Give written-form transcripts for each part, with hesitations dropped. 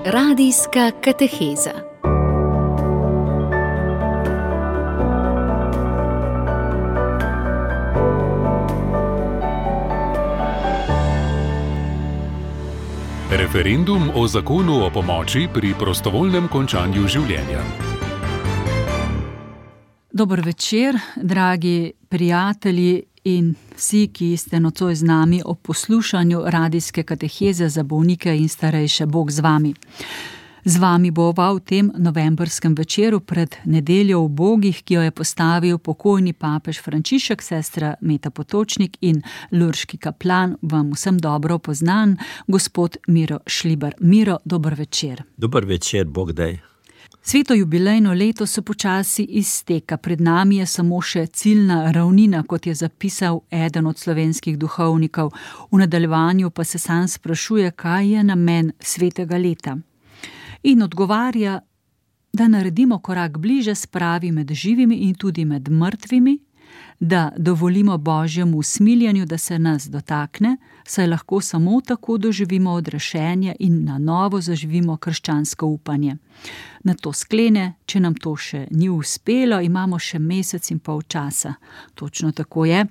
Radijska kateheza. Referendum o zakonu o pomoči pri prostovoljnem končanju življenja. Dober večer, dragi prijatelji in vsi, ki ste nocoj z nami ob poslušanju radijske kateheze za bolnike in starejše. Bog z vami. Z vami bova v tem novembrskem večeru pred nedeljo ubogih, ki jo je postavil pokojni papež Frančišek, sestra Meta Potočnik in lurški kaplan, vam vsem dobro poznan, gospod Miro Šlibar. Miro, dober večer. Dober večer, Bog daj. Sveto jubilejno leto se počasi izteka. Pred nami je samo še ciljna ravnina, kot je zapisal eden od slovenskih duhovnikov. V nadaljevanju pa se sam sprašuje, kaj je namen svetega leta. In odgovarja, da naredimo korak bliže spravi med živimi in tudi med mrtvimi, da dovolimo Božjemu usmiljenju, da se nas dotakne, saj lahko samo tako doživimo odrešenje in na novo zaživimo krščansko upanje. Na to sklene, če nam to še ni uspelo, imamo še mesec in pol časa. Točno tako je.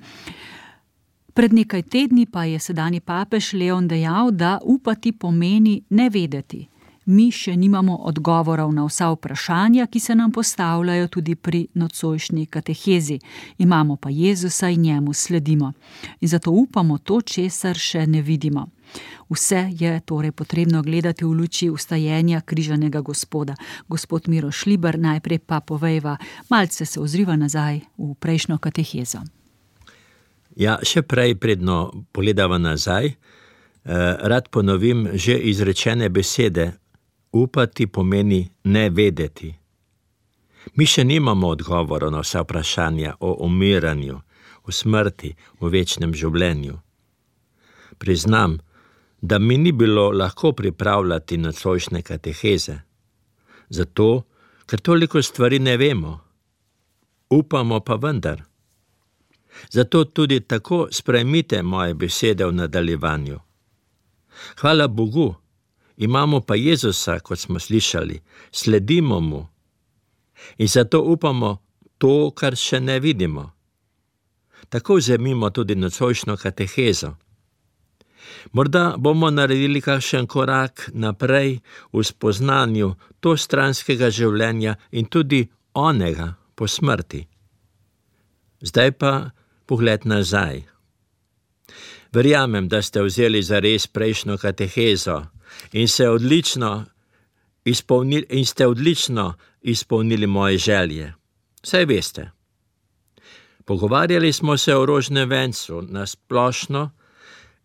Pred nekaj tedni pa je sedanji papež Leon dejal, da upati pomeni ne vedeti. Mi še nimamo odgovorov na vsa vprašanja, ki se nam postavljajo tudi pri nocojšnji katehezi. Imamo pa Jezusa in njemu sledimo. In zato upamo to, česar še ne vidimo. Vse je torej potrebno gledati v luči vstajenja križanega Gospoda. Gospod Miro Šlibar, najprej pa povejva, malce se ozriva nazaj v prejšnjo katehezo. Ja, še prej predno pogledava nazaj, rad ponovim že izrečene besede. Upati pomeni ne vedeti. Mi še nimamo odgovorov na vsa vprašanja o umiranju, o smrti, o večnem življenju. Priznam, da mi ni bilo lahko pripravljati nocojšnje kateheze. Zato, ker toliko stvari ne vemo. Upamo pa vendar. Zato tudi tako sprejmite moje besede v nadaljevanju. Hvala Bogu. Imamo pa Jezusa, kot smo slišali, sledimo mu in zato upamo to, kar še ne vidimo. Tako vzemimo tudi nocojšnjo katehezo. Morda bomo naredili kakšen korak naprej v spoznanju to stranskega življenja in tudi onega po smrti. Zdaj pa pogled nazaj. Verjamem, da ste vzeli zares prejšnjo katehezo in ste odlično izpolnili moje želje. Saj veste. Pogovarjali smo se o rožnem vencu na splošno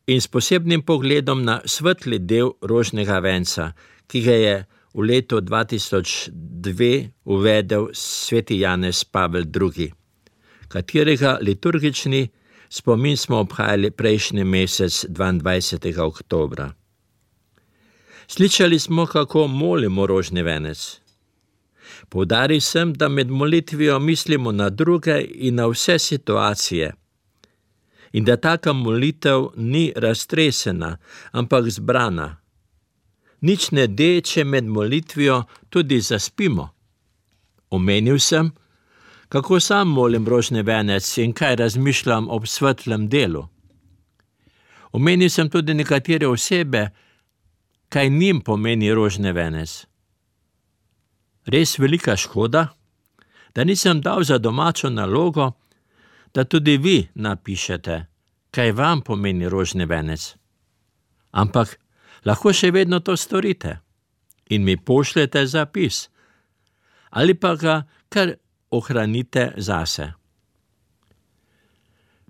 in s posebnim pogledom na svetli del rožnega venca, ki ga je v letu 2002 uvedel sveti Janez Pavel II, katerega liturgični spomin smo obhajali prejšnji mesec 22. oktobra. Slišali smo, kako molimo rožni venec. Poudaril sem, da med molitvijo mislimo na druge in na vse situacije in da taka molitev ni raztresena, ampak zbrana. Nič ne de, če med molitvijo tudi zaspimo. Omenil sem, kako sam molim rožni venec in kaj razmišljam ob svetlem delu. Omenil sem tudi nekatere osebe, kaj njim pomeni rožni venec. Res velika škoda, da nisem dal za domačo nalogo, da tudi vi napišete, kaj vam pomeni rožni venec. Ampak lahko še vedno to storite in mi pošljete zapis ali pa ga kar ohranite zase.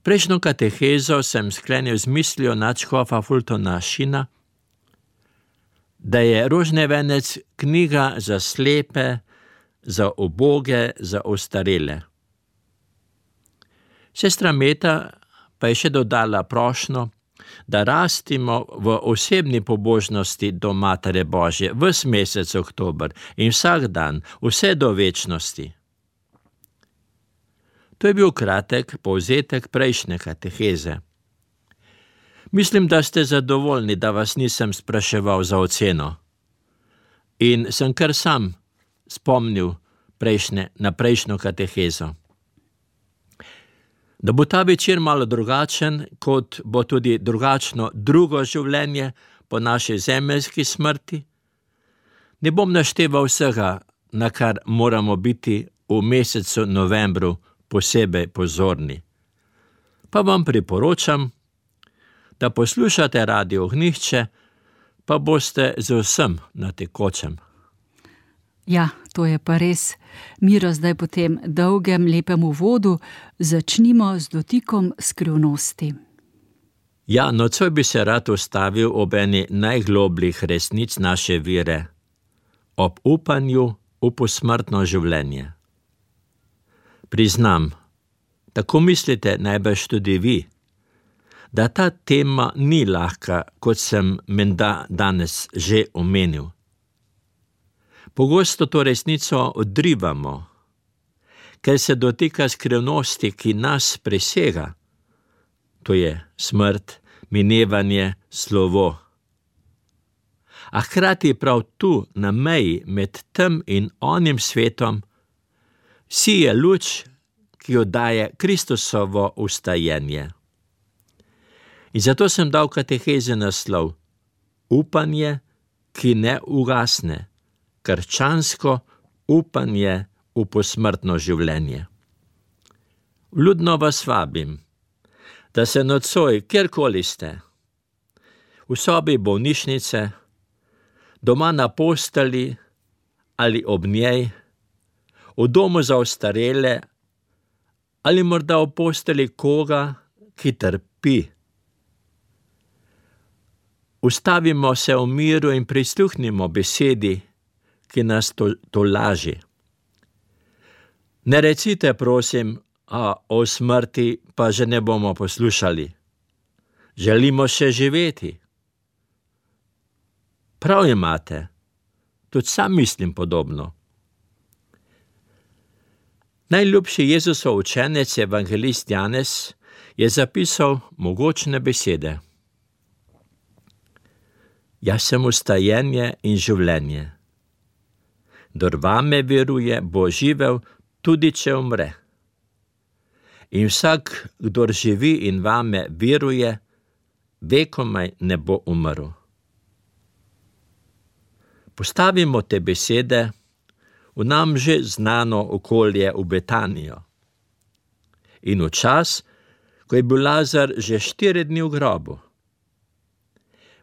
Prejšnjo katehezo sem sklenil z mislijo nadškofa Fultona Sheena, da je rožni venec knjiga za slepe, za uboge, za ostarele. Sestra Meta pa je še dodala prošnjo, da rastimo v osebni pobožnosti do Matere Božje ves mesec oktober in vsak dan, vse do večnosti. To je bil kratek povzetek prejšnje kateheze. Mislim, da ste zadovoljni, da vas nisem spraševal za oceno. in sem kar sam spomnil na prejšnjo katehezo. Da bo ta večer malo drugačen, kot bo tudi drugačno drugo življenje po naši zemeljski smrti, ne bom našteval vsega, na kar moramo biti v mesecu novembru posebej pozorni. Pa vam priporočam, da poslušate Radio Ognjišče, pa boste z vsem na tekočem. Ja, to je pa res. Miro, zdaj po tem dolgem, lepem uvodu začnimo z dotikom skrivnosti. Ja, nocoj bi se rad ustavil ob eni najglobljih resnic naše vere, ob upanju v posmrtno življenje. Priznam, tako mislite najbrž tudi vi, da ta tema ni lahka, kot sem menda danes že omenil. Pogosto to resnico odrivamo, ker se dotika skrivnosti, ki nas presega. To je smrt, minevanje, slovo. A hkrati prav tu, na meji med tem in onim svetom, sije luč, ki jo daje Kristusovo vstajenje. In zato sem dal katehezi naslov Upanje, ki ne ugasne, krščansko upanje v posmrtno življenje. Vljudno vas vabim, da se nocoj, kjerkoli ste, v sobi bolnišnice, doma na posteli ali ob njej, v domu za ostarele ali morda v posteli koga, ki trpi. Ustavimo se v miru in prisluhnimo besedi, ki nas tolaži. Ne recite, prosim, o smrti pa že ne bomo poslušali. Želimo še živeti. Prav imate, tudi sam mislim podobno. Najljubši Jezusov učenec, evangelist Janez, je zapisal mogočne besede. Jaz sem vstajenje in življenje. Kdor vame veruje, bo živel, tudi če umre. In vsak, kdor živi in vame veruje, vekomaj ne bo umrl. Postavimo te besede v nam že znano okolje v Betanijo. In v čas, ko je bil Lazar že 4 dni v grobu.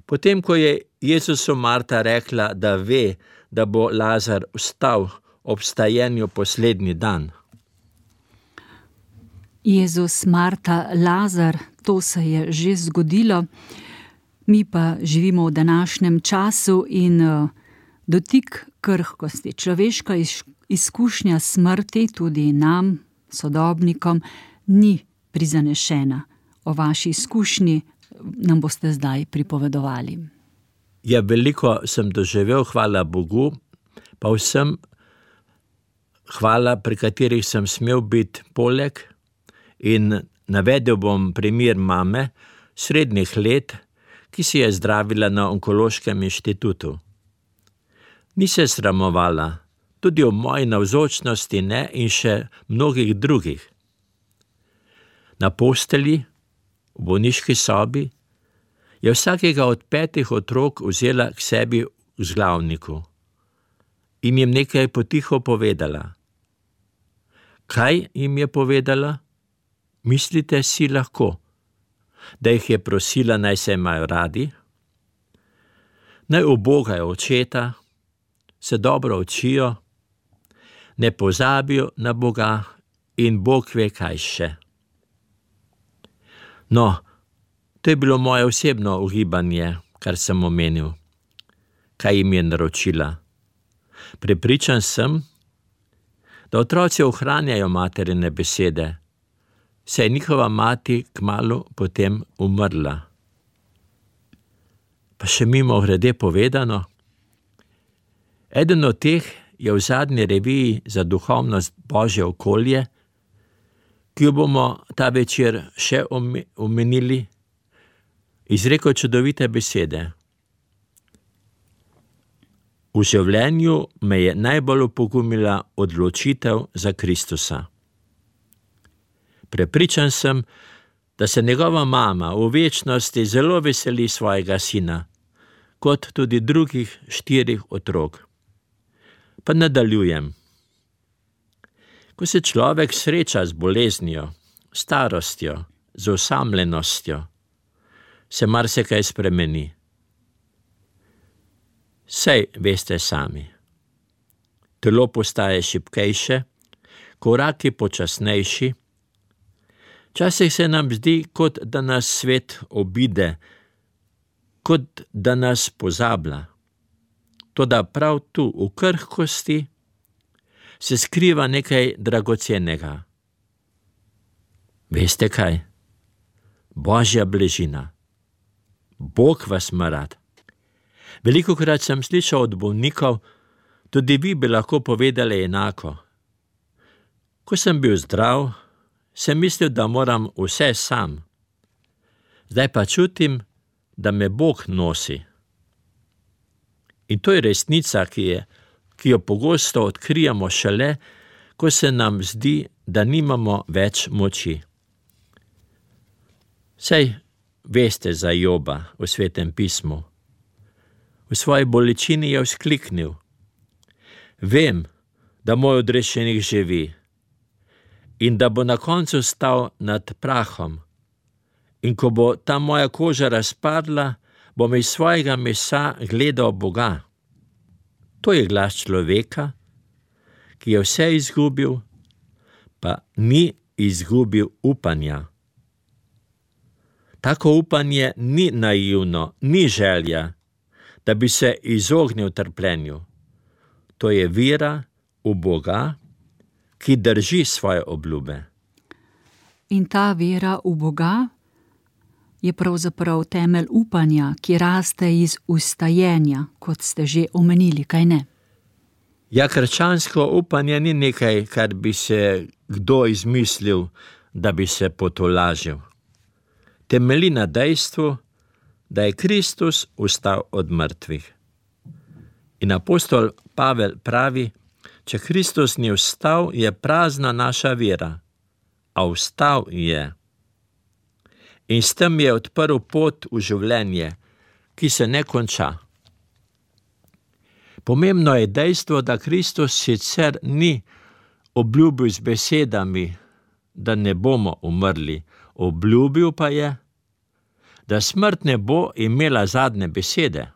Potem, ko je Jezusu Marta rekla, da ve, da bo Lazar vstal ob vstajenju poslednji dan. Jezus, Marta, Lazar, to se je že zgodilo. Mi pa živimo v današnjem času in dotik krhkosti, človeška izkušnja smrti tudi nam, sodobnikom, ni prizanešena. O vaši izkušnji nam boste zdaj pripovedovali. Ja, veliko sem doživel, hvala Bogu, pa vsem hvala, pri katerih sem smel biti poleg, in navedel bom primer mame srednjih let, ki si je zdravila na Onkološkem inštitutu. Ni se sramovala, tudi o moji navzočnosti ne in še mnogih drugih. Na posteli, v bolniški sobi, je vsakega od 5 otrok vzela k sebi v vzglavniku in jim nekaj potiho povedala. Kaj jim je povedala? Mislite si lahko, da jih je prosila, naj se imajo radi? Naj ubogajo očeta, se dobro učijo, ne pozabijo na Boga in Bog ve kaj še. No, to je bilo moje osebno ugibanje, kar sem omenil. Kaj jim je naročila? Prepričan sem, da otroci ohranjajo materine besede, saj je njihova mati kmalu potem umrla. Pa še mimogrede povedano, eden od teh je v zadnji reviji za duhovnost Božje okolje, ki jo bomo ta večer še omenili, izrekel čudovite besede. V življenju me je najbolj opogumila odločitev za Kristusa. Prepričan sem, da se njegova mama v večnosti zelo veseli svojega sina, kot tudi drugih 4 otrok. Pa nadaljujem. Ko se človek sreča z boleznijo, starostjo, z osamljenostjo, se marsikaj spremeni. Saj veste sami. Telo postaje šibkejše, koraki počasnejši. Včasih se nam zdi, kot da nas svet obide, kot da nas pozablja. Toda prav tu, v krhkosti, se skriva nekaj dragocenega. Veste kaj? Božja bližina. Bog vas ima rad. Velikokrat sem slišal od bolnikov, tudi vi bi lahko povedali enako. Ko sem bil zdrav, sem mislil, da moram vse sam. Zdaj pa čutim, da me Bog nosi. In to je resnica, ki jo pogosto odkrijemo šele, ko se nam zdi, da nimamo več moči. Saj veste za Joba v Svetem pismu. V svoji bolečini je vzkliknil: Vem, da moj odrešenik živi in da bo na koncu stal nad prahom. In ko bo ta moja koža razpadla, bom iz svojega mesa gledal Boga. To je glas človeka, ki je vse izgubil, pa ni izgubil upanja. Tako upanje ni naivno, ni želja, da bi se izognil trpljenju. To je vera v Boga, ki drži svoje obljube. In ta vera v Boga je pravzaprav temelj upanja, ki raste iz ustajenja, kot ste že omenili, kaj ne? Ja, krščansko upanje ni nekaj, kar bi se kdo izmislil, da bi se potolažil. Temelji na dejstvu, da je Kristus vstal od mrtvih. In apostol Pavel pravi, če Kristus ni vstal, je prazna naša vera, a vstal je. In s tem je odprl pot v življenje, ki se ne konča. Pomembno je dejstvo, da Kristus sicer ni obljubil z besedami, da ne bomo umrli, obljubil pa je, da smrt ne bo imela zadnje besede,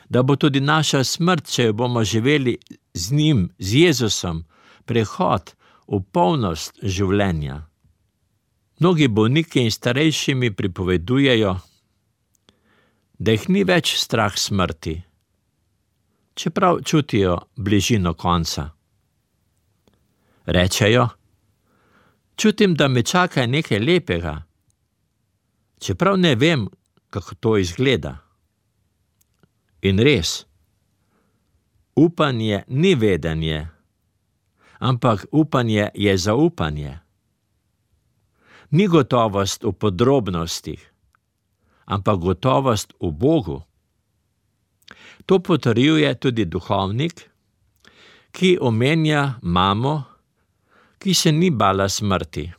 da bo tudi naša smrt, če jo bomo živeli z njim, z Jezusom, prehod v polnost življenja. Mnogi bolniki in starejši mi pripovedujejo, da jih ni več strah smrti, čeprav čutijo bližino konca. Rečejo, čutim, da me čaka nekaj lepega, čeprav ne vem, kako to izgleda. In res, upanje ni vedenje, ampak upanje je zaupanje. Ni gotovost v podrobnostih, ampak gotovost v Bogu. To potrjuje tudi duhovnik, ki omenja mamo, ki se ni bala smrti.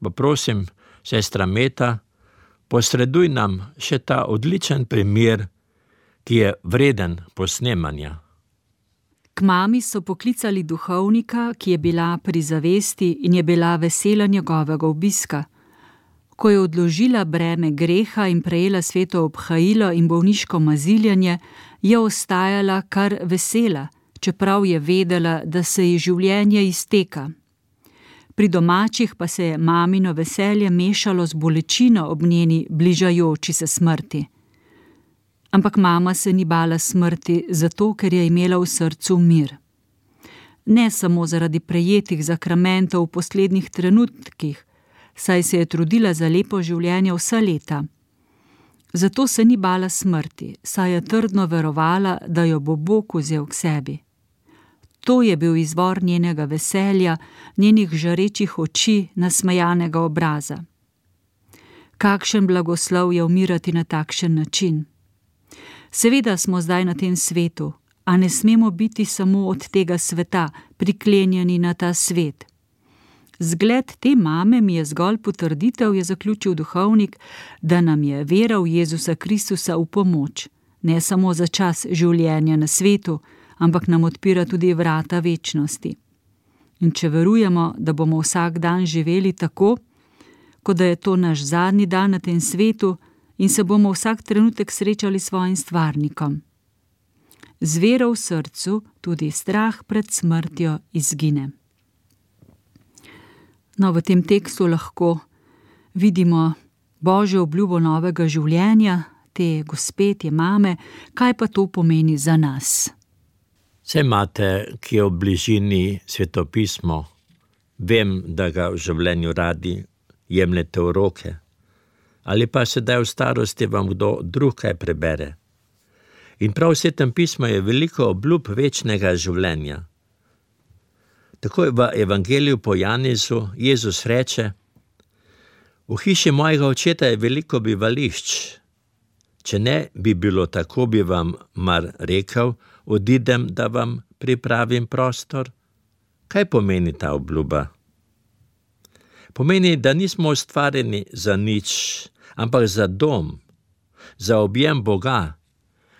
Pa prosim, sestra Meta, posreduj nam še ta odličen primer, ki je vreden posnemanja. K mami so poklicali duhovnika, ki je bila pri zavesti in je bila vesela njegovega obiska. Ko je odložila breme greha in prejela sveto obhajilo in bolniško maziljanje, je ostajala kar vesela, čeprav je vedela, da se ji življenje izteka. Pri domačih pa se je mamino veselje mešalo z bolečino ob njeni bližajoči se smrti. Ampak mama se ni bala smrti, zato ker je imela v srcu mir. Ne samo zaradi prejetih zakramentov v poslednjih trenutkih, saj se je trudila za lepo življenje vsa leta. Zato se ni bala smrti, saj je trdno verovala, da jo bo Bog vzel k sebi. To je bil izvor njenega veselja, njenih žarečih oči, nasmejanega obraza. Kakšen blagoslov je umirati na takšen način. Seveda smo zdaj na tem svetu, a ne smemo biti samo od tega sveta, priklenjeni na ta svet. Zgled te mame mi je zgolj potrditev, je zaključil duhovnik, da nam je vera v Jezusa Kristusa v pomoč, ne samo za čas življenja na svetu, ampak nam odpira tudi vrata večnosti. In če verujemo, da bomo vsak dan živeli tako, kot da je to naš zadnji dan na tem svetu in se bomo vsak trenutek srečali s svojim stvarnikom. Z vero v srcu tudi strah pred smrtjo izgine. No, v tem tekstu lahko vidimo Božjo obljubo novega življenja, te gospe, te mame, kaj pa to pomeni za nas. Saj imate, ki je v bližini svetopismo, vem, da ga v življenju radi jemljete v roke, ali pa sedaj v starosti vam kdo drug kaj prebere. In prav v Svetem pismu je veliko obljub večnega življenja. Tako v Evangeliju po Janezu Jezus reče: v hiši mojega očeta je veliko bivališč. Če ne bi bilo tako, bi vam mar rekel, odidem, da vam pripravim prostor. Kaj pomeni ta obljuba? Pomeni, da nismo ustvarjeni za nič, ampak za dom, za objem Boga,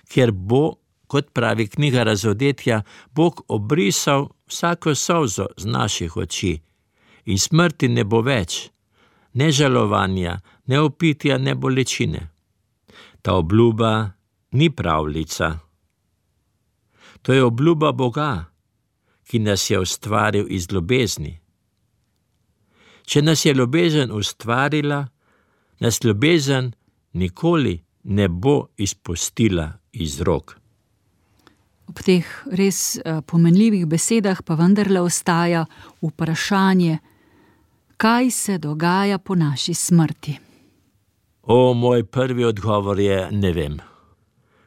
kjer bo, kot pravi knjiga Razodetja, Bog obrisal vsako solzo z naših oči in smrti ne bo več, ne žalovanja, ne opitja, ne bolečine. Ta obljuba ni pravljica. To je obljuba Boga, ki nas je ustvaril iz ljubezni. Če nas je ljubezen ustvarila, nas ljubezen nikoli ne bo izpustila iz rok. Ob teh res pomenljivih besedah pa vendarle ostaja vprašanje, kaj se dogaja po naši smrti. Moj prvi odgovor je: ne vem.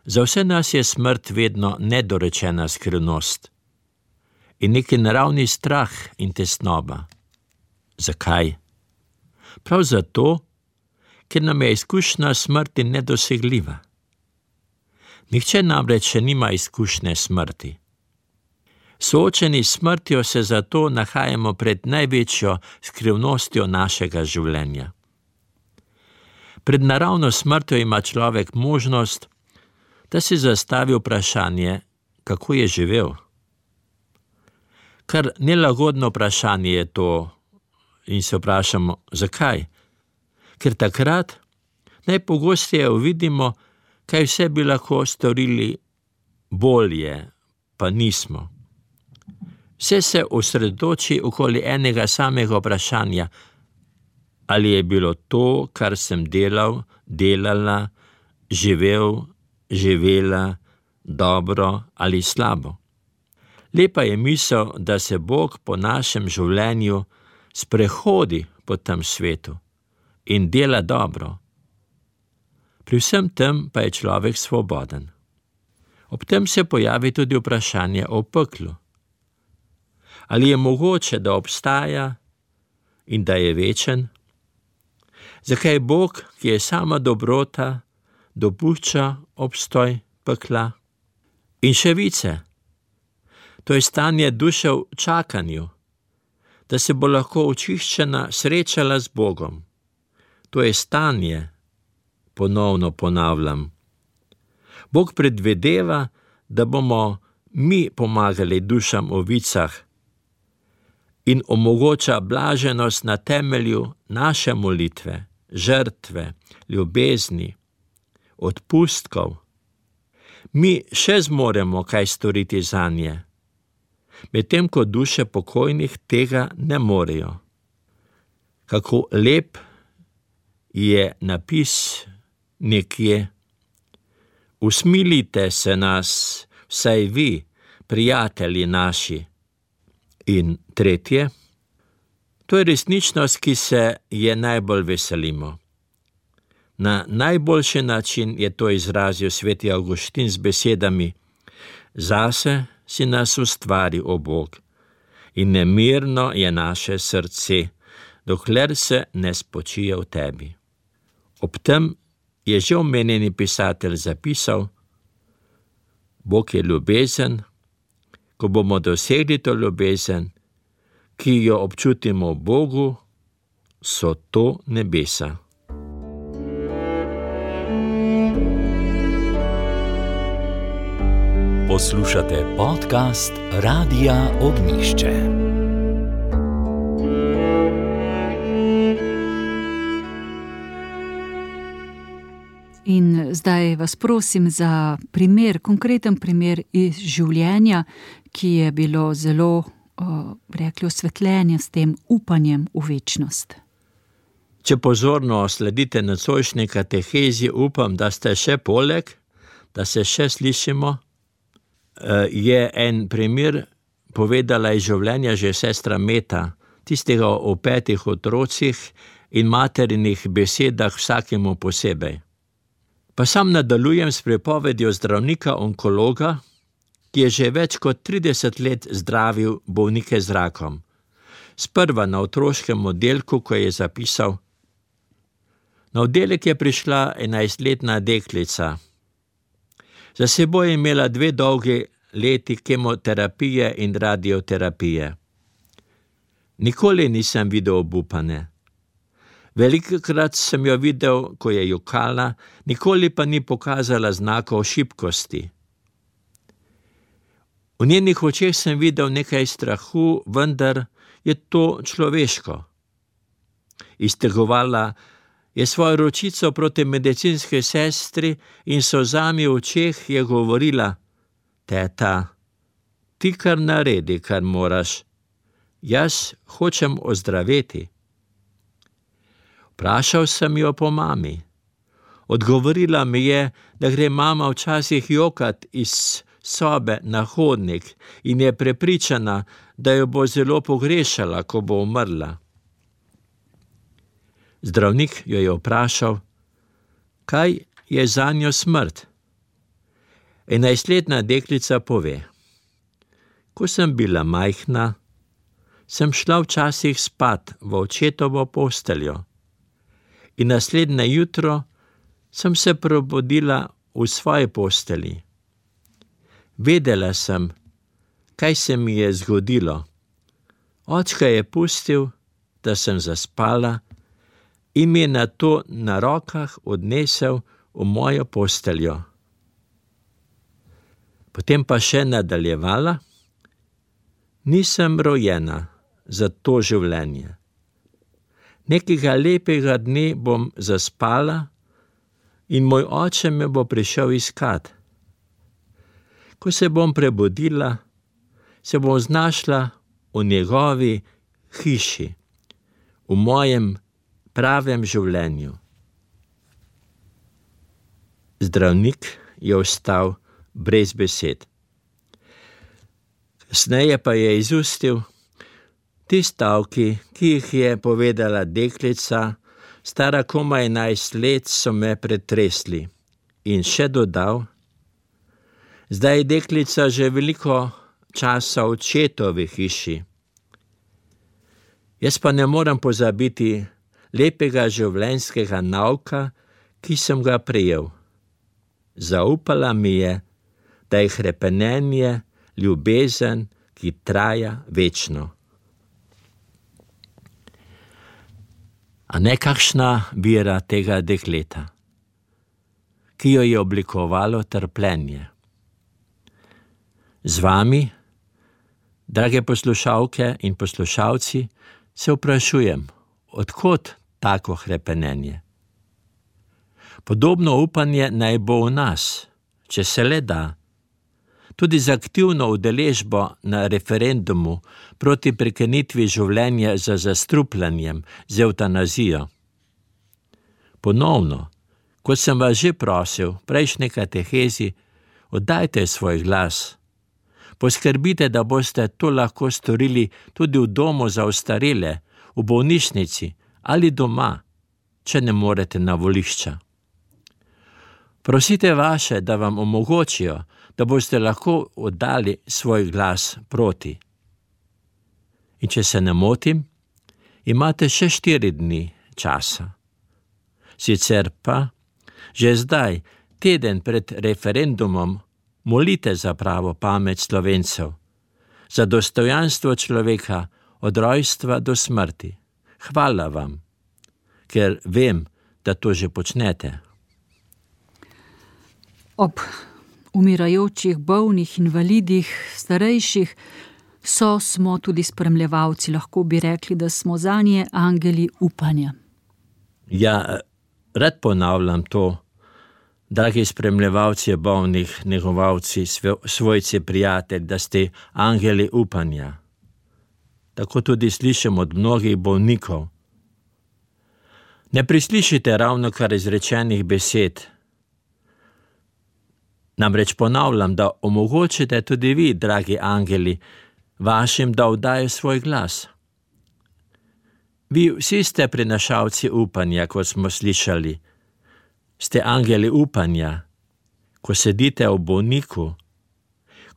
Za vse nas je smrt vedno nedorečena skrivnost in neki naravni strah in tesnoba. Zakaj? Prav zato, ker nam je izkušnja smrti nedosegljiva. Nihče namreč še nima izkušnje smrti. Soočeni s smrtjo se zato nahajamo pred največjo skrivnostjo našega življenja. Pred naravno smrtjo ima človek možnost, da si zastavi vprašanje, kako je živel. Kar nelagodno vprašanje je to in se vprašamo, zakaj? Ker takrat najpogosteje uvidimo, kaj vse bi lahko storili bolje, pa nismo. Vse se osredotoči okoli enega samega vprašanja, ali je bilo to, kar sem delal, delala, živel, živela, dobro ali slabo. Lepa je misel, da se Bog po našem življenju sprehodi po tem svetu in dela dobro. Pri vsem tem pa je človek svoboden. Ob tem se pojavi tudi vprašanje o peklu. Ali je mogoče, da obstaja in da je večen? Zakaj Bog, ki je sama dobrota, dopušča obstoj pekla? In še vice, to je stanje duše v čakanju, da se bo lahko očiščena srečala z Bogom. To je stanje, ponovno ponavljam. Bog predvideva, da bomo mi pomagali dušam v vicah in omogoča blaženost na temelju naše molitve, žrtve, ljubezni, odpustkov. Mi še zmoremo kaj storiti zanje, medtem ko duše pokojnih tega ne morejo. Kako lep je napis nekje: usmilite se nas, vsaj vi, prijatelji naši. In tretje, to je resničnost, ki se je najbolj veselimo. Na najboljši način je to izrazil sveti Avguštin z besedami: zase si nas ustvari, o Bog, in nemirno je naše srce, dokler se ne spočije v tebi. Ob tem je že omenjeni pisatelj zapisal: Bog je ljubezen. Ko bomo dosegli to ljubezen, ki jo občutimo v Bogu, so to nebesa. Poslušate podcast Radia Ognjišče. In zdaj vas prosim za konkreten primer iz življenja, ki je bilo zelo, rekli, osvetljenje s tem upanjem v večnost. Če pozorno sledite nocojšnji katehezi, upam, da ste še poleg, da se še slišimo, je en primer povedala iz življenja že sestra Meta, tistega o 5 otrocih in materinih besedah vsakemu posebej. Pa sam nadaljujem s pripovedjo zdravnika onkologa, ki je že več kot 30 let zdravil bolnike z rakom. Sprva na otroškem oddelku, ko je zapisal: Na oddelek je prišla 11-letna deklica. Za seboj je imela 2 dolgi leti kemoterapije in radioterapije. Nikoli nisem videl obupane. Velikokrat sem jo videl, ko je jokala, nikoli pa ni pokazala znakov šibkosti. V njenih očeh sem videl nekaj strahu, vendar je to človeško. Iztegovala je svojo ročico proti medicinski sestri in s solzami v očeh je govorila: Teta, ti kar naredi, kar moraš. Jaz hočem ozdraveti. Vprašal sem jo po mami. Odgovorila mi je, da gre mama včasih jokat iz sobe na hodnik in je prepričana, da jo bo zelo pogrešala, ko bo umrla. Zdravnik jo je vprašal, kaj je zanjo smrt. 11-letna deklica pove: Ko sem bila majhna, sem šla včasih spat v očetovo posteljo. In naslednje jutro sem se probudila v svoji posteli. Vedela sem, kaj se mi je zgodilo. Očka je pustil, da sem zaspala in mi je nato na rokah odnesel v mojo posteljo. Potem pa še nadaljevala: Nisem rojena za to življenje. Nekega lepega dne bom zaspala in moj oče me bo prišel iskat. Ko se bom prebudila, se bom znašla v njegovi hiši, v mojem pravem življenju. Zdravnik je ostal brez besed. Kasneje pa je izustil: Ti stavki, ki jih je povedala deklica, stara komaj 11 let, so me pretresli. In še dodal: Zdaj je deklica že veliko časa v očetovi hiši. Jaz pa ne morem pozabiti lepega življenjskega nauka, ki sem ga prejel. Zaupala mi je, da je hrepenenje ljubezen, ki traja večno. A ne kakšna vera tega dekleta, ki jo je oblikovalo trpljenje. Z vami, drage poslušalke in poslušalci, se vprašujem, od kod tako hrepenenje? Podobno upanje naj bo v nas, če se le da. Tudi z aktivno udeležbo na referendumu proti prekinitvi življenja z zastrupljanjem, z evtanazijo. Ponovno, kot sem vas že prosil v prejšnji katehezi, oddajte svoj glas. Poskrbite, da boste to lahko storili tudi v domu za ostarele, v bolnišnici ali doma, če ne morete na volišča. Prosite vaše, da vam omogočijo, da boste lahko oddali svoj glas proti. In če se ne motim, imate še 4 dni časa. Sicer pa, že zdaj, teden pred referendumom, molite za pravo pamet Slovencev, za dostojanstvo človeka od rojstva do smrti. Hvala vam, ker vem, da to že počnete. Ob umirajočih, bolnih, invalidih, starejših smo tudi spremljevalci, lahko bi rekli, da smo zanje angeli upanja. Ja, rad ponavljam to, dragi spremljevalci bolnih, negovalci, svojci, prijatelji, da ste angeli upanja. Tako tudi slišim od mnogih bolnikov. Ne prislišite ravnokar izrečenih besed. Namreč ponavljam, da omogočite tudi vi, dragi angeli, vašim, da oddajo svoj glas. Vi vsi ste prinašalci upanja, kot smo slišali. Ste angeli upanja, ko sedite ob bolniku,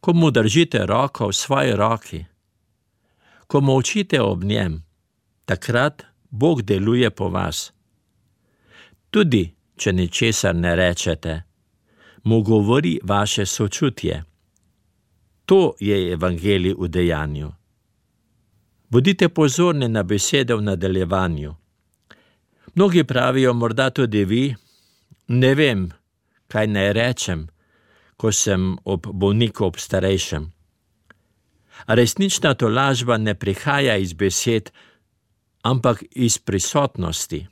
ko mu držite roko v svoji roki, ko molčite ob njem, takrat Bog deluje po vas. Tudi, če ničesar ne rečete, mu govori vaše sočutje. To je evangelij v dejanju. Bodite pozorni na besede v nadaljevanju. Mnogi pravijo, morda tudi vi, ne vem, kaj naj rečem, ko sem ob bolniku, ob starejšem. A resnična tolažba ne prihaja iz besed, ampak iz prisotnosti,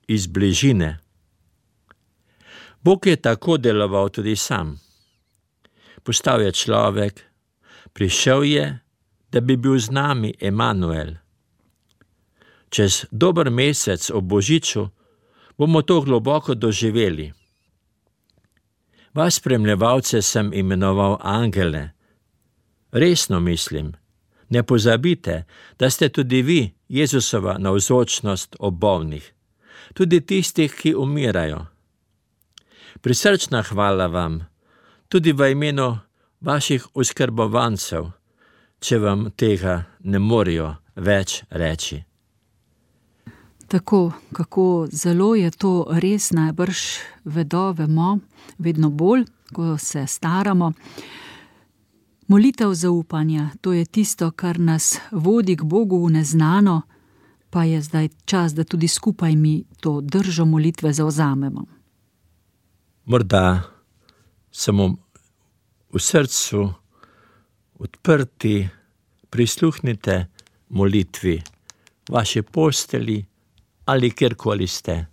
iz bližine. Bog je tako deloval tudi sam. Postal je človek, prišel je, da bi bil z nami Emanuel. Čez dober mesec ob Božiču bomo to globoko doživeli. Vas spremljevalce sem imenoval angele. Resno mislim, ne pozabite, da ste tudi vi Jezusova navzočnost ob bolnih, tudi tistih, ki umirajo. Prisrčna hvala vam, tudi v imenu vaših oskrbovancev, če vam tega ne morejo več reči. Tako, kako zelo je to res, najbrž vemo, vedno bolj, ko se staramo. Molitev zaupanja, to je tisto, kar nas vodi k Bogu v neznano, pa je zdaj čas, da tudi skupaj mi to držo molitve zavzamemo. Morda samo v srcu odprti, prisluhnite molitvi, vaše postelji ali kjerkoli ste.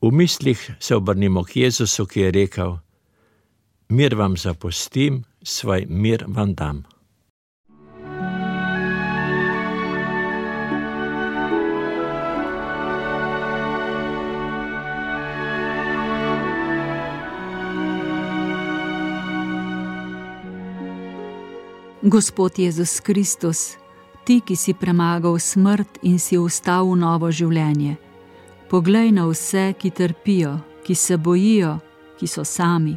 V mislih se obrnimo k Jezusu, ki je rekel: mir vam zapustim, svoj mir vam dam. Gospod Jezus Kristus, ti, ki si premagal smrt in si vstal v novo življenje, poglej na vse, ki trpijo, ki se bojijo, ki so sami.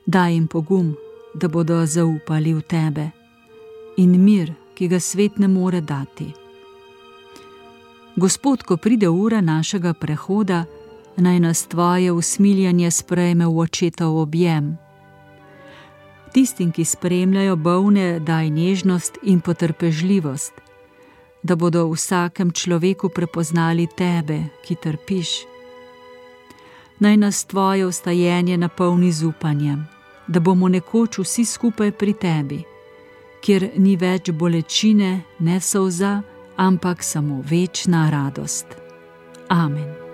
Daj jim pogum, da bodo zaupali v tebe, in mir, ki ga svet ne more dati. Gospod, ko pride ura našega prehoda, naj nas tvoje usmiljanje sprejme v očetov objem. Tistim, ki spremljajo bolne, daj nežnost in potrpežljivost, da bodo v vsakem človeku prepoznali tebe, ki trpiš. Naj nas tvoje vstajenje napolni z upanjem, da bomo nekoč vsi skupaj pri tebi, kjer ni več bolečine, ne solza, ampak samo večna radost. Amen.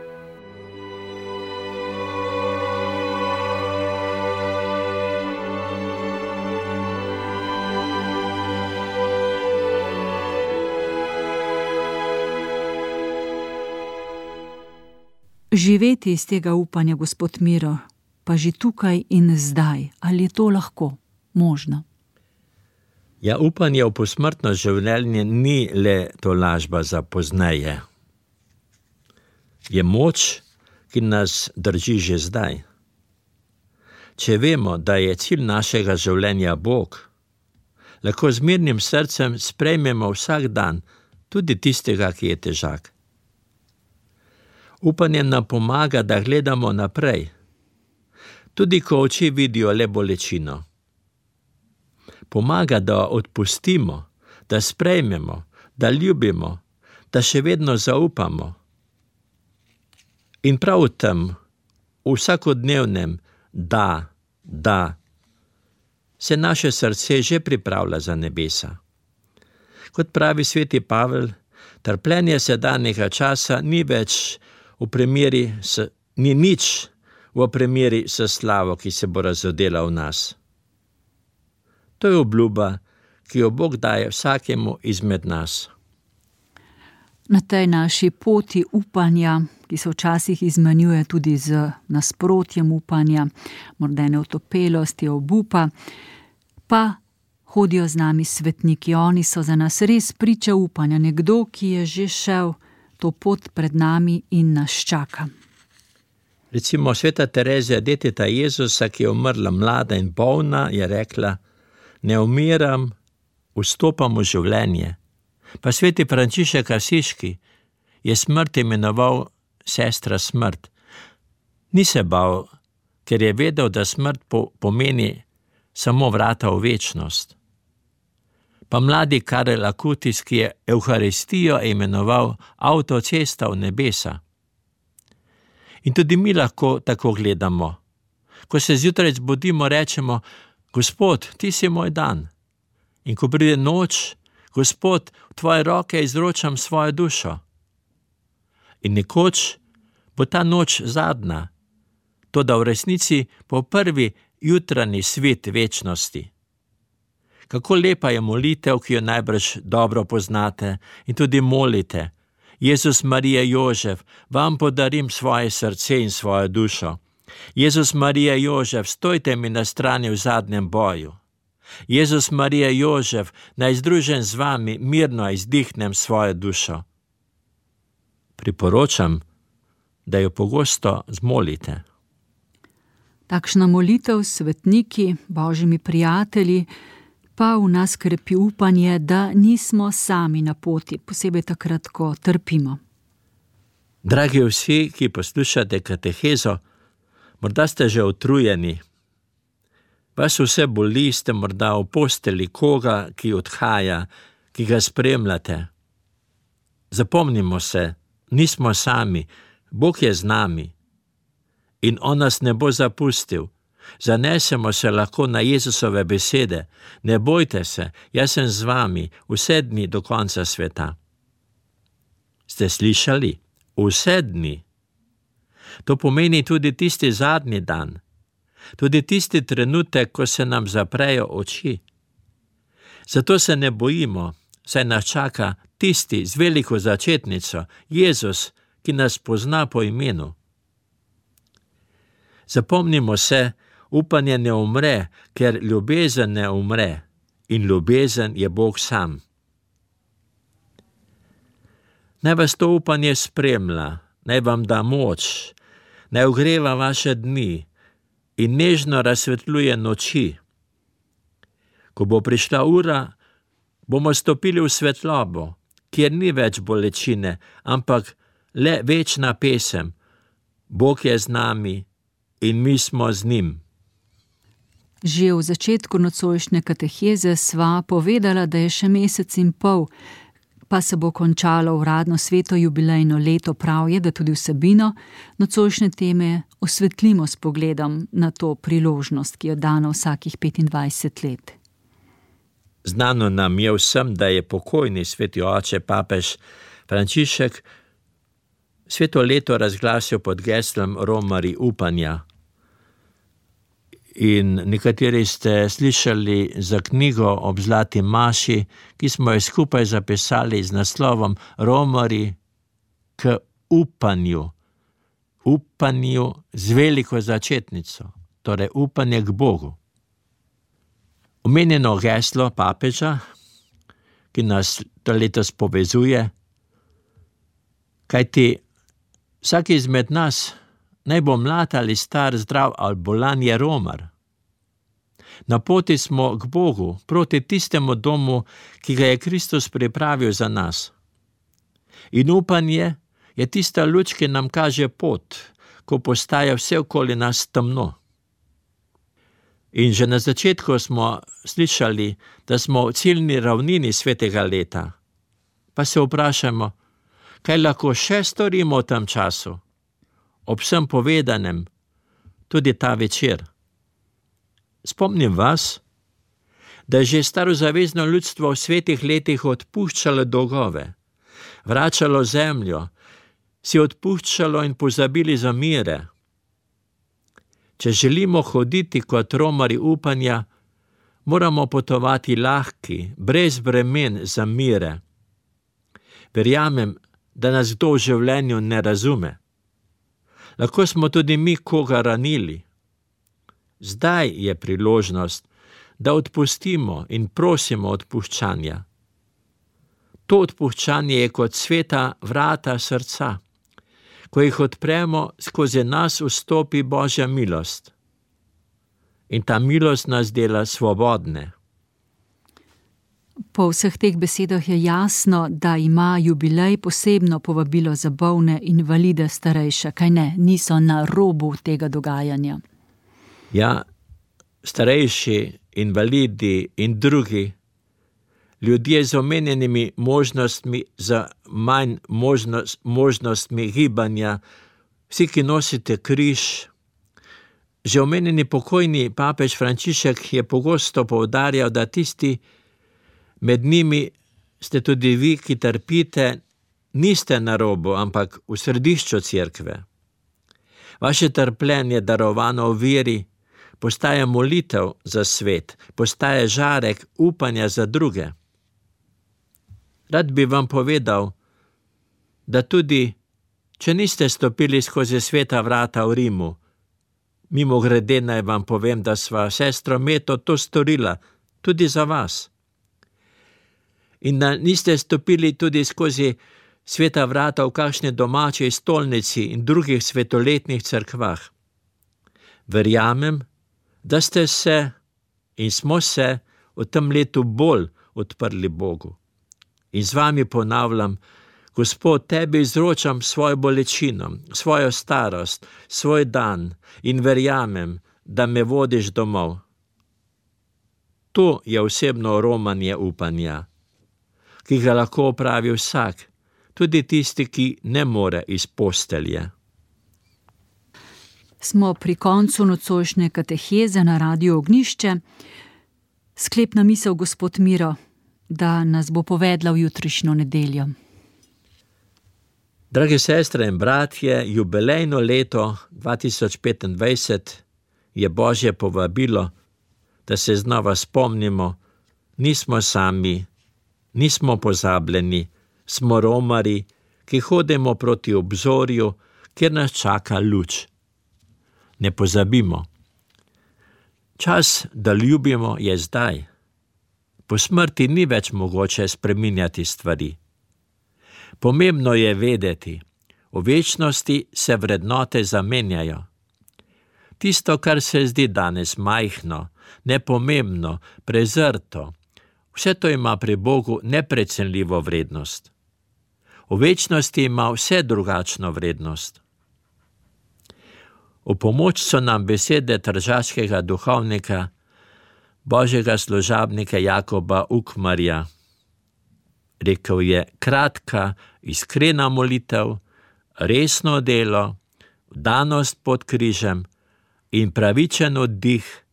Živeti iz tega upanja, gospod Miro, pa že tukaj in zdaj, ali je to lahko možno? Ja, upanje v posmrtno življenje ni le tolažba za pozneje. Je moč, ki nas drži že zdaj. Če vemo, da je cilj našega življenja Bog, lahko z mirnim srcem sprejmemo vsak dan, tudi tistega, ki je težak. Upanje nam pomaga, da gledamo naprej. tudi ko oči vidijo le bolečino. Pomaga, da odpustimo, da sprejmemo, da ljubimo, da še vedno zaupamo. In prav v tem, v vsakodnevnem da, se naše srce že pripravlja za nebesa. Kot pravi sveti Pavel, trpljenje sedanjega časa ni nič v primeri s slavo, ki se bo razodela v nas. To je obljuba, ki jo Bog daje vsakemu izmed nas. Na tej naši poti upanja, ki se včasih izmenjuje tudi z nasprotjem upanja, morda neotopelosti, obupa, pa hodijo z nami svetniki. Oni so za nas res priča upanja, nekdo, ki je že šel to pot pred nami in nas čaka. Recimo sveta Terezija, deteta Jezusa, ki je umrla mlada in bolna, je rekla: ne umiram, vstopam v življenje. Pa sveti Frančišek Asiški je smrt imenoval sestra smrt. Ni se bal, ker je vedel, da smrt pomeni samo vrata v večnost. Pa mladi Karel Akutis, ki je Evharistijo imenoval avtocesta v nebesa. In tudi mi lahko tako gledamo. Ko se zjutraj zbudimo, rečemo: Gospod, ti si moj dan. In ko pride noč, Gospod, v tvoje roke izročam svojo dušo. In nekoč bo ta noč zadnja, toda v resnici bo prvi jutranji svet večnosti. Kako lepa je molitev, ki jo najbrž dobro poznate in tudi molite: Jezus, Marija, Jožef, vam podarim svoje srce in svojo dušo. Jezus, Marija, Jožef, stojte mi na strani v zadnjem boju. Jezus, Marija, Jožef, naj združen z vami mirno izdihnem svojo dušo. Priporočam, da jo pogosto zmolite. Takšna molitev s svetniki, božjimi prijatelji, pa v nas krepi upanje, da nismo sami na poti, posebej takrat, ko trpimo. Dragi vsi, ki poslušate katehezo, morda ste že utrujeni. Vas vse boli, ste morda v posteli koga, ki odhaja, ki ga spremljate. Zapomnimo se, nismo sami, Bog je z nami in on nas ne bo zapustil. Zanesemo se lahko na Jezusove besede: ne bojte se, jaz sem z vami vse dni do konca sveta. Ste slišali? Vse dni. To pomeni tudi tisti zadnji dan, tudi tisti trenutek, ko se nam zaprejo oči. Zato se ne bojimo, saj nas čaka tisti z veliko začetnico, Jezus, ki nas pozna po imenu. Zapomnimo se, upanje ne umre, ker ljubezen ne umre in ljubezen je Bog sam. Naj vas to upanje spremlja, naj vam da moč, naj ogreva vaše dni in nežno razsvetljuje noči. Ko bo prišla ura, bomo stopili v svetlobo, kjer ni več bolečine, ampak le večna pesem: Bog je z nami in mi smo z njim. Že v začetku nocojšnje kateheze sva povedala, da je še mesec in pol, pa se bo končalo uradno sveto jubilejno leto. Prav je, da tudi vsebino nocojšnje teme osvetlimo s pogledom na to priložnost, ki jo dano vsakih 25 let. Znano nam je vsem, da je pokojni sveti oče papež Frančišek sveto leto razglasil pod geslom Romarji upanja. In nekateri ste slišali za knjigo ob Zlati maši, ki smo jo skupaj zapisali z naslovom Romarji k upanju. Upanju z veliko začetnico, torej upanje k Bogu. Omenjeno geslo papeža, ki nas to letos povezuje, kajti vsak izmed nas, naj bo mlad ali star, zdrav ali bolan, je romar. Na poti smo k Bogu, proti tistemu domu, ki ga je Kristus pripravil za nas. In upanje je tista luč, ki nam kaže pot, ko postaja vse okoli nas temno. In že na začetku smo slišali, da smo v ciljni ravnini svetega leta. Pa se vprašamo, kaj lahko še storimo v tem času, ob vsem povedanem, tudi ta večer. Spomnim vas, da je že starozavezno ljudstvo v svetih letih odpuščalo dolgove, vračalo zemljo, si odpuščalo in pozabili zamire. Če želimo hoditi kot romarji upanja, moramo potovati lahki, brez bremen zamire. Verjamem, da nas kdo v življenju ne razume. Lahko smo tudi mi koga ranili. Zdaj je priložnost, da odpustimo in prosimo odpuščanja. To odpuščanje je kot sveta vrata srca. Ko jih odpremo, skozi nas vstopi Božja milost. In ta milost nas dela svobodne. Po vseh teh besedah je jasno, da ima jubilej posebno povabilo za bolne invalide starejše, kaj ne, niso na robu tega dogajanja. Ja, starejši, invalidi in drugi, ljudje z omenjenimi možnostmi, za manj možnostmi gibanja, vsi, ki nosite križ. Že omenjeni pokojni papež Frančišek je pogosto poudarjal, da tisti med njimi ste tudi vi, ki trpite, niste na robu, ampak v središču cerkve. Vaše trpljenje, darovano v veri, postaje molitev za svet, postaje žarek upanja za druge. Rad bi vam povedal, da tudi, če niste stopili skozi sveta vrata v Rimu, mimogrede naj vam povem, da sva sestro Meto to storila tudi za vas. In da niste stopili tudi skozi sveta vrata v kakšni domači stolnici in drugih svetoletnih cerkvah. Verjamem, da ste se in smo se v tem letu bolj odprli Bogu. In z vami ponavljam, Gospod, tebi izročam svojo bolečino, svojo starost, svoj dan in verjamem, da me vodiš domov. To je osebno romanje upanja, ki ga lahko opravi vsak, tudi tisti, ki ne more iz postelje. Smo pri koncu nocojšnje kateheze na Radiu Ognjišče. Sklepna misel, gospod Miro, da nas bo povedla v jutrišnjo nedeljo. Drage sestre in bratje, jubilejno leto 2025 je Božje povabilo, da se znova spomnimo, nismo sami, nismo pozabljeni, smo romarji, ki hodimo proti obzorju, kjer nas čaka luč. Ne pozabimo. Čas, da ljubimo, je zdaj. Po smrti ni več mogoče spreminjati stvari. Pomembno je vedeti, v večnosti se vrednote zamenjajo. Tisto, kar se zdi danes majhno, nepomembno, prezrto, vse to ima pri Bogu neprecenljivo vrednost. V večnosti ima vse drugačno vrednost. V pomoč so nam besede tržaškega duhovnika, božjega služabnika Jakoba Ukmarja. Rekel je, kratka, iskrena molitev, resno delo, vdanost pod križem in pravičen oddih.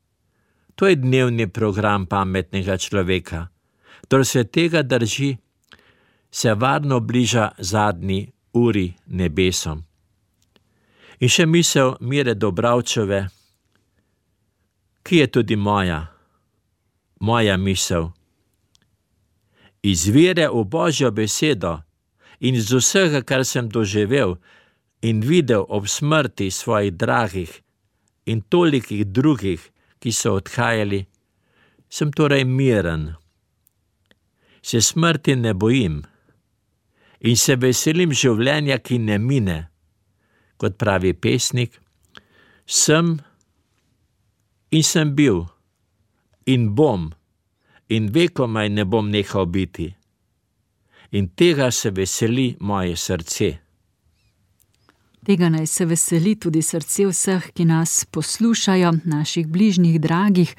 To je dnevni program pametnega človeka. Kdor se tega drži, se varno bliža zadnji uri nebesom. In še misel Mire Dobravčeve, ki je tudi moja misel. Iz vere v Božjo besedo in iz vsega, kar sem doživel in videl ob smrti svojih dragih in tolikih drugih, ki so odhajali, sem torej miren. Se smrti ne bojim in se veselim življenja, ki ne mine. Kot pravi pesnik, sem in sem bil in bom in vekomaj ne bom nehal biti. In tega se veseli moje srce. Tega naj se veseli tudi srce vseh, ki nas poslušajo, naših bližnjih, dragih.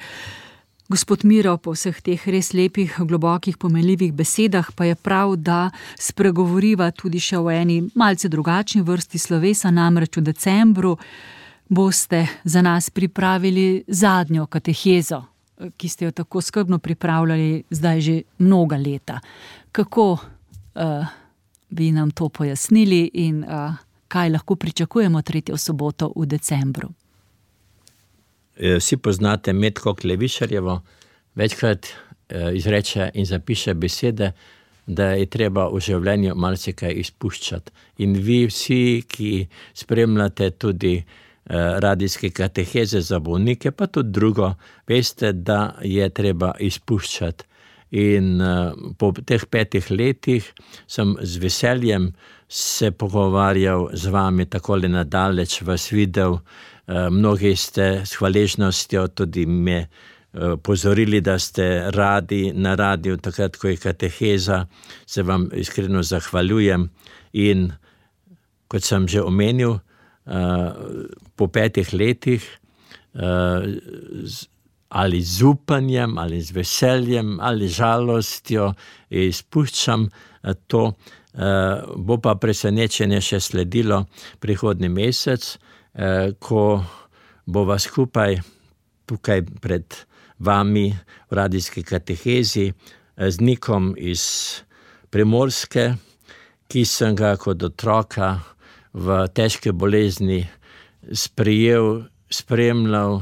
Gospod Miro, po vseh teh res lepih, globokih, pomenljivih besedah pa je prav, da spregovoriva tudi še o eni malce drugačni vrsti slovesa, namreč v decembru boste za nas pripravili zadnjo katehezo, ki ste jo tako skrbno pripravljali zdaj že mnoga leta. Kako bi nam to pojasnili in kaj lahko pričakujemo 3. soboto v decembru? Vsi poznate Metko Klevišarjevo, večkrat izreče in zapiše besede, da je treba v življenju marsikaj izpuščati. In vi vsi, ki spremljate tudi radijske kateheze za bolnike, pa tudi drugo, veste, da je treba izpuščati. In po teh 5 letih sem z veseljem se pogovarjal z vami takole nadaleč, vas videl. Mnogi ste s hvaležnostjo tudi me pozorili, da ste radi na radiju, takrat, ko je kateheza, se vam iskreno zahvaljujem. In kot sem že omenil, po 5 letih ali z upanjem, ali z veseljem, ali žalostjo izpuščam to, bo pa presenečenje še sledilo prihodnji mesec, ko bova skupaj tukaj pred vami v radijski katehezi z Nikom iz Primorske, ki sem ga kot otroka v težke bolezni sprejel, spremljal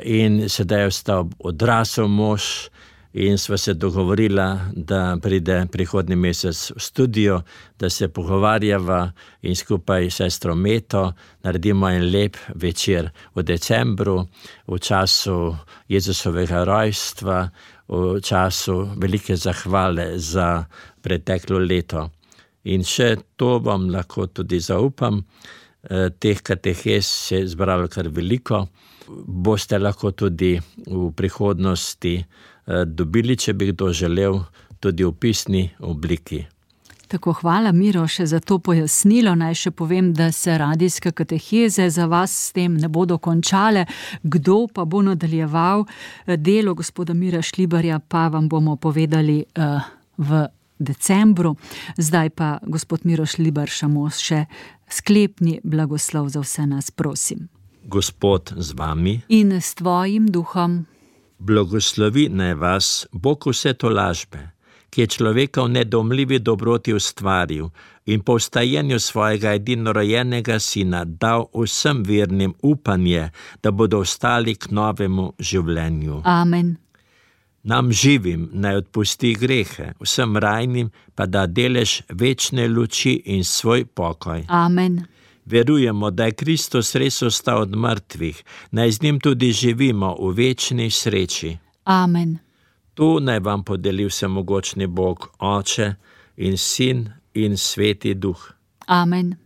in sedaj je ostal odrasel mož in sva se dogovorila, da pride prihodnji mesec v studio, da se pogovarjava in skupaj s sestro Meto naredimo en lep večer v decembru, v času Jezusovega rojstva, v času velike zahvale za preteklo leto. In še to vam lahko tudi zaupam, teh katehez se je zbralo kar veliko, boste lahko tudi v prihodnosti dobili, če bi kdo želel, tudi v pisni obliki. Tako, hvala Miro še za to pojasnilo. Naj še povem, da se radijske kateheze za vas s tem ne bodo končale. Kdo pa bo nadaljeval delo gospoda Mira Šlibarja, pa vam bomo povedali v decembru. Zdaj pa gospod Miro Šlibar še sklepni blagoslov za vse nas, prosim. Gospod z vami in s tvojim duhom. Blagoslovi naj vas Bog vse tolažbe, ki je človeka v nedomljivi dobroti ustvaril in po vstajenju svojega edinorojenega sina dal vsem vernim upanje, da bodo ostali k novemu življenju. Amen. Nam živim naj odpusti grehe, vsem rajnim pa da delež večne luči in svoj pokoj. Amen. Verujemo, da je Kristus res ostal od mrtvih, naj z njim tudi živimo v večni sreči. Amen. Tu naj vam podeli vsemogočni Bog, Oče in Sin in Sveti Duh. Amen.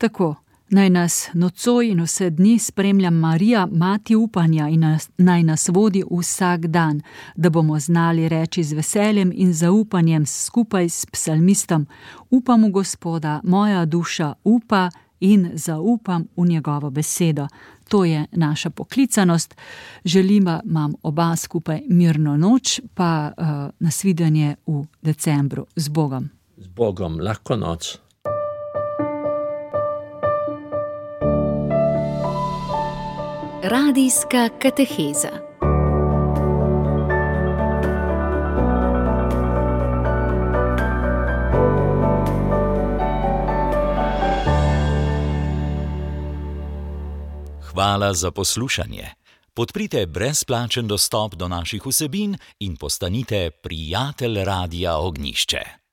Tako, naj nas nocoj in vse dni spremlja Marija, mati upanja, in naj nas vodi vsak dan, da bomo znali reči z veseljem in zaupanjem skupaj s psalmistom: upam v Gospoda, moja duša upa in zaupam v njegovo besedo. To je naša poklicanost. Želimo vam oba skupaj mirno noč, pa nasvidenje v decembru. Z Bogom. Z Bogom, lahko noč. Radijska kateheza. Hvala za poslušanje. Podprite brezplačen dostop do naših vsebin in postanite prijatelj Radia Ognjišče.